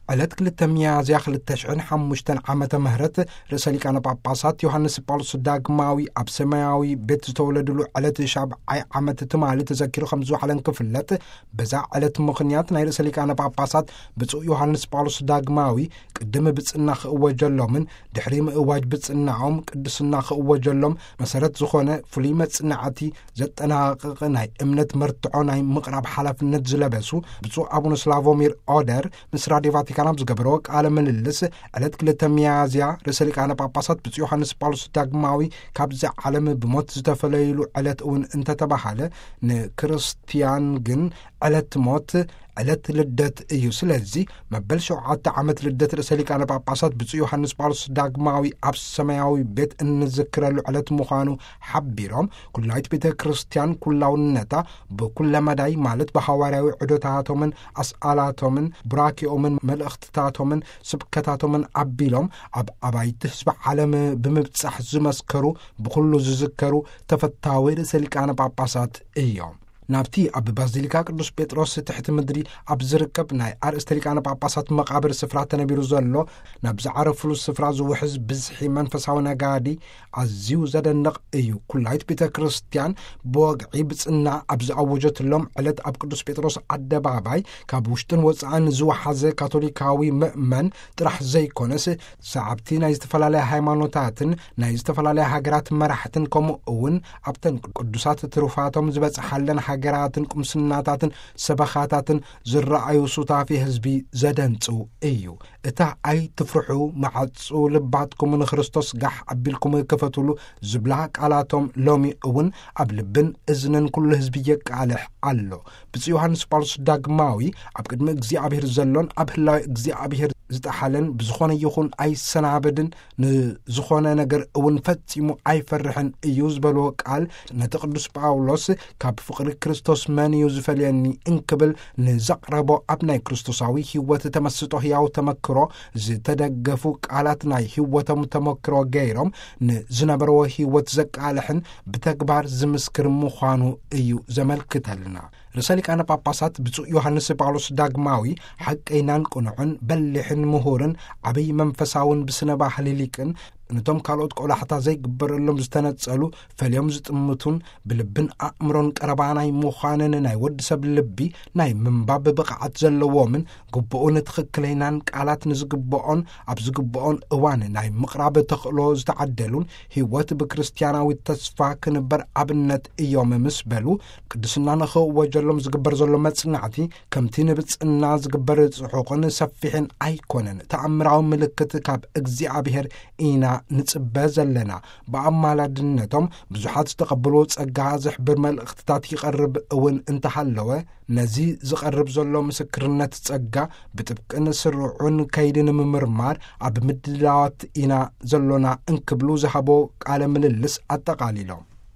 ዕለት ክልተ ሚያዝያ ክልተ ሽሕን ሓሙሽተን ዓመተ ምህረት ርእሰ ሊቃነ ጳጳሳት ዮሃንስ ጳውሎስ ዳግማዊ ኣብ ሰማያዊ ቤት ዝተወለድሉ ዕለት ሻብዓይ ዓመት ትማሊ ተዘኪሩ ከም ዝውዓለን ክፍለጥ፣ በዛ ዕለት ምኽንያት ናይ ርእሰ ሊቃነ ጳጳሳት ብፁዕ ዮሃንስ ጳውሎስ ዳግማዊ ቅድሚ ብጽና ክእወጀሎምን ድሕሪ ምእዋጅ ብጽናኦም ቅድስና ክእወጀሎም መሰረት ዝኾነ ፍሉይ መጽናዕቲ ዘጠናቕቕ ናይ እምነት መርትዖ ናይ ምቕራብ ሓላፍነት ዝለበሱ ብፁዕ ኣቡነ ስላቮሚር ኦደር ምስ ራድዮ ቫቲካን ኣብ ዝገበረዎ ቃለ ምልልስ፣ ዕለት ክልተ ሚያዝያ ርእሰ ሊቃነ ጳጳሳት ብፁዕ ዮሃንስ ጳውሎስ ዳግማዊ ካብዚ ዓለም ብሞት ዝተፈለይሉ ዕለት እውን እንተተባሃለ፣ ንክርስቲያን ግን ዕለት ሞት ዕለት ልደት እዩ። ስለዚ መበል ሸውዓተ ዓመት ልደት ርእሰ ሊቃነ ጳጳሳት ብፁዕ ዮሃንስ ጳውሎስ ዳግማዊ ኣብ ሰማያዊ ቤት እንዝክረሉ ዕለት ምዃኑ ሓቢሮም፣ ኩላይት ቤተ ክርስቲያን ኩላውነታ ብኩለ መዳይ ማለት ብሃዋርያዊ ዕዶታቶምን ኣስኣላቶምን ቡራኪኦምን መልእኽትታቶምን ስብከታቶምን ኣቢሎም ኣብ ኣባይቲ ህዝቢ ዓለም ብምብጻሕ ዝመስከሩ፣ ብኩሉ ዝዝከሩ ተፈታዊ ርእሰ ሊቃነ ጳጳሳት እዮም። ናብቲ ኣብ ባዚሊካ ቅዱስ ጴጥሮስ ትሕቲ ምድሪ ኣብ ዝርከብ ናይ ኣርእስተ ሊቃነ ጳጳሳት መቓብር ስፍራ ተነቢሩ ዘሎ፣ ናብ ዝዓረፍሉ ስፍራ ዝውሕዝ ብዝሒ መንፈሳዊ ነጋዲ ኣዝዩ ዘደንቕ እዩ። ኩላይት ቤተ ክርስቲያን ብወግዒ ብጽና ኣብ ዝኣወጀትሎም ዕለት ኣብ ቅዱስ ጴጥሮስ ኣደባባይ ካብ ውሽጥን ወጻእን ዝወሓዘ ካቶሊካዊ ምእመን ጥራሕ ዘይኮነስ፣ ሰዓብቲ ናይ ዝተፈላለያ ሃይማኖታትን ናይ ዝተፈላለያ ሃገራት መራሕትን ከምኡ እውን ኣብተን ቅዱሳት ትሩፋቶም ዝበጽሓለን ሃገራትን ቁምስናታትን ሰበኻታትን ዝረኣዩ ሱታፊ ህዝቢ ዘደንጹ እዩ። እታ "ኣይትፍርሑ፣ መዓጹ ልባትኩም ንክርስቶስ ጋሕ ኣቢልኩም ክፈትሉ" ዝብላ ቃላቶም ሎሚ እውን ኣብ ልብን እዝንን ኩሉ ህዝቢ የቃልሕ ኣሎ። ብፁዕ ዮሃንስ ጳውሎስ ዳግማዊ ኣብ ቅድሚ እግዚኣብሔር ዘሎን ኣብ ህላዊ እግዚኣብሔር ዝጠሓለን ብዝኾነ ይኹን ኣይሰናበድን፣ ንዝኾነ ነገር እውን ፈጺሙ ኣይፈርሕን እዩ ዝበልዎ ቃል፣ ነቲ ቅዱስ ጳውሎስ ካብ ፍቕሪ ክርስቶስ መን እዩ ዝፈልየኒ እንክብል ንዘቕረቦ ኣብ ናይ ክርስቶሳዊ ህይወት ተመስጦ ህያው ተመክሮ ዝተደገፉ ቃላት ናይ ህይወቶም ተመክሮ ገይሮም ንዝነበርዎ ህይወት ዘቃልሕን ብተግባር ዝምስክር ምዃኑ እዩ ዘመልክተልና። ርእሰ ሊቃነ ጳጳሳት ብፁዕ ዮሃንስ ጳውሎስ ዳግማዊ ሓቀይናን ቅኑዕን በሊሕን ምሁርን ዓብይ መንፈሳውን ብስነ ባህሊ ሊቅን፣ ነቶም ካልኦት ቆላሕታ ዘይግበረሎም ዝተነጸሉ ፈልዮም ዝጥምቱን ብልብን ኣእምሮን ቀረባ ናይ ምዃንን ናይ ወዲ ሰብ ልቢ ናይ ምንባብ ብቕዓት ዘለዎምን ግቡእን ትኽክለይናን ቃላት ንዝግብኦን ኣብ ዝግብኦን እዋን ናይ ምቕራብ ተኽእሎ ዝተዓደሉን ህይወት ብክርስቲያናዊ ተስፋ ክንበር ኣብነት እዮም ምስ በሉ፣ ቅድስና ንኽእወጀሎም ዝግበር ዘሎ መጽናዕቲ ከምቲ ንብጽና ዝግበር ጽሑቕን ሰፊሕን ኣይኮነን። ተኣምራዊ ምልክት ካብ እግዚኣብሔር ኢና ንጽበ ዘለና። ብኣማላድነቶም ብዙሓት ዝተቐበልዎ ጸጋ ዘሕብር መልእኽትታት ይቐርብ እውን እንተሃለወ፣ ነዚ ዝቐርብ ዘሎ ምስክርነት ጸጋ ብጥብቅን ስሩዑን ከይዲ ንምምርማር ኣብ ምድላዋት ኢና ዘሎና እንክብሉ ዝሃቦ ቃለ ምልልስ ኣጠቓሊሎም።